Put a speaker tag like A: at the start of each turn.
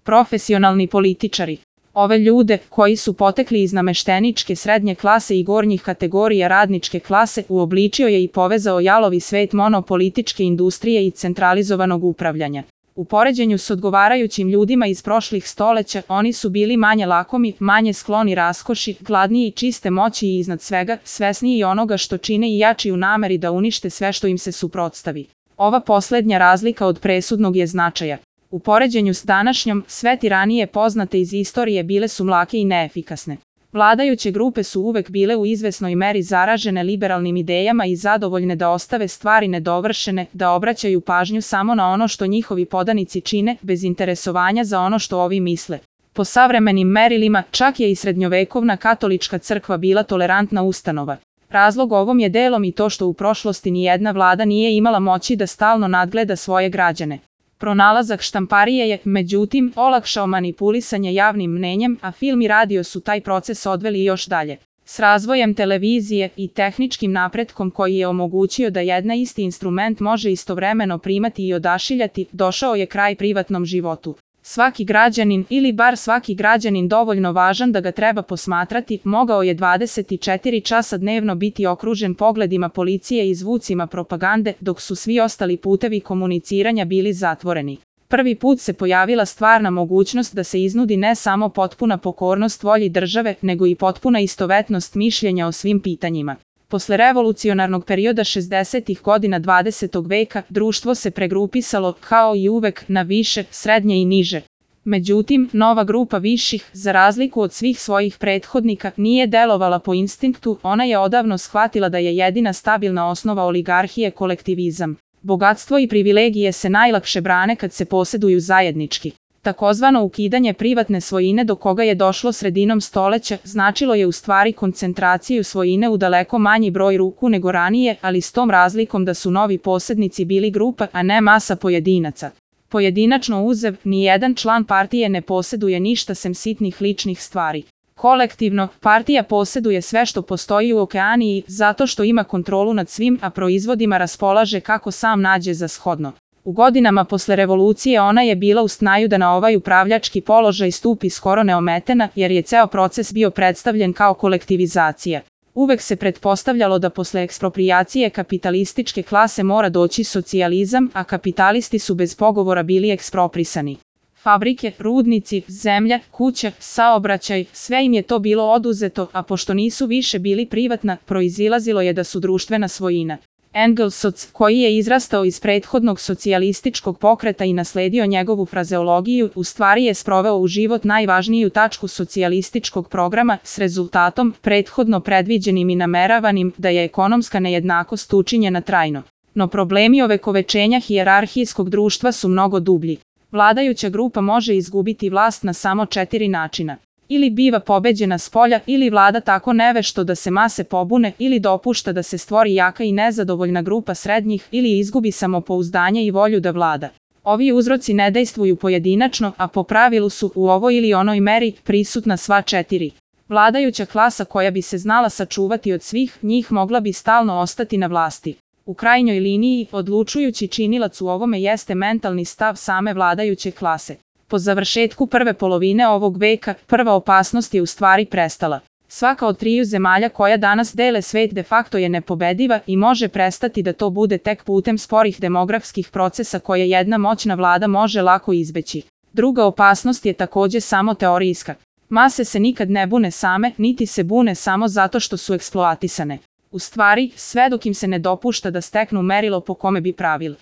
A: Profesionalni političari. Ove ljude, koji su potekli iz namešteničke srednje klase i gornjih kategorija radničke klase, uobličio je i povezao jalovi svet monopolitičke industrije i centralizovanog upravljanja. U poređenju s odgovarajućim ljudima iz prošlih stoleća, oni su bili manje lakomi, manje skloni raskoši, gladniji čiste moći i iznad svega, svesniji onoga što čine i jači u nameri da unište sve što im se suprotstavi. Ova poslednja razlika od presudnog je značaja. U poređenju s današnjom, sve tiranije poznate iz istorije bile su mlake i neefikasne. Vladajuće grupe su uvek bile u izvesnoj meri zaražene liberalnim idejama i zadovoljne da ostave stvari nedovršene, da obraćaju pažnju samo na ono što njihovi podanici čine, bez interesovanja za ono što ovi misle. Po savremenim merilima, čak je i srednjovekovna katolička crkva bila tolerantna ustanova. Razlog ovom je delom i to što u prošlosti nijedna vlada nije imala moći da stalno nadgleda svoje građane. Pronalazak štamparije je, međutim, olakšao manipulisanje javnim mnenjem, a film i radio su taj proces odveli još dalje. S razvojem televizije i tehničkim napretkom koji je omogućio da jedna isti instrument može istovremeno primati i odašiljati, došao je kraj privatnom životu. Svaki građanin, ili bar svaki građanin dovoljno važan da ga treba posmatrati, mogao je 24 časa dnevno biti okružen pogledima policije i zvucima propagande, dok su svi ostali putevi komuniciranja bili zatvoreni. Prvi put se pojavila stvarna mogućnost da se iznudi ne samo potpuna pokornost volji države, nego i potpuna istovetnost mišljenja o svim pitanjima. Posle revolucionarnog perioda 60. godina 20. veka, društvo se pregrupisalo, kao i uvek, na više, srednje i niže. Međutim, nova grupa viših, za razliku od svih svojih prethodnika, nije delovala po instinktu, ona je odavno shvatila da je jedina stabilna osnova oligarhije kolektivizam. Bogatstvo i privilegije se najlakše brane kad se poseduju zajednički. Takozvano ukidanje privatne svojine do koga je došlo sredinom stoleća, značilo je u stvari koncentraciju svojine u daleko manji broj ruku nego ranije, ali s tom razlikom da su novi posednici bili grupa, a ne masa pojedinaca. Pojedinačno uzev, nijedan član partije ne poseduje ništa sem sitnih ličnih stvari. Kolektivno, partija poseduje sve što postoji u okeaniji, zato što ima kontrolu nad svim, a proizvodima raspolaže kako sam nađe za shodno. U godinama posle revolucije ona je bila u snaju da na ovaj upravljački položaj stupi skoro neometena, jer je ceo proces bio predstavljen kao kolektivizacija. Uvek se pretpostavljalo da posle eksproprijacije kapitalističke klase mora doći socijalizam, a kapitalisti su bez pogovora bili eksproprisani. Fabrike, rudnici, zemlja, kuća, saobraćaj, sve im je to bilo oduzeto, a pošto nisu više bili privatna, proizilazilo je da su društvena svojina. Engelsoc, koji je izrastao iz prethodnog socijalističkog pokreta i nasledio njegovu frazeologiju, u stvari je sproveo u život najvažniju tačku socijalističkog programa, s rezultatom, prethodno predviđenim i nameravanim, da je ekonomska nejednakost učinjena trajno. No problemi ovekovečenja hijerarhijskog društva su mnogo dublji. Vladajuća grupa može izgubiti vlast na samo 4 načina. Ili biva pobeđena spolja, ili vlada tako nevešto da se mase pobune, ili dopušta da se stvori jaka i nezadovoljna grupa srednjih, ili izgubi samopouzdanje i volju da vlada. Ovi uzroci ne dejstvuju pojedinačno, a po pravilu su, u ovoj ili onoj meri, prisutna sva 4. Vladajuća klasa koja bi se znala sačuvati od svih njih mogla bi stalno ostati na vlasti. U krajnjoj liniji, odlučujući činilac u ovome jeste mentalni stav same vladajuće klase. Po završetku prve polovine ovog veka, prva opasnost je u stvari prestala. Svaka od 3 zemalja koja danas dele svet de facto je nepobediva i može prestati da to bude tek putem sporih demografskih procesa koje jedna moćna vlada može lako izbeći. Druga opasnost je takođe samo teorijska. Mase se nikad ne bune same, niti se bune samo zato što su eksploatisane. U stvari, sve dok im se ne dopušta da steknu merilo po kome bi pravili.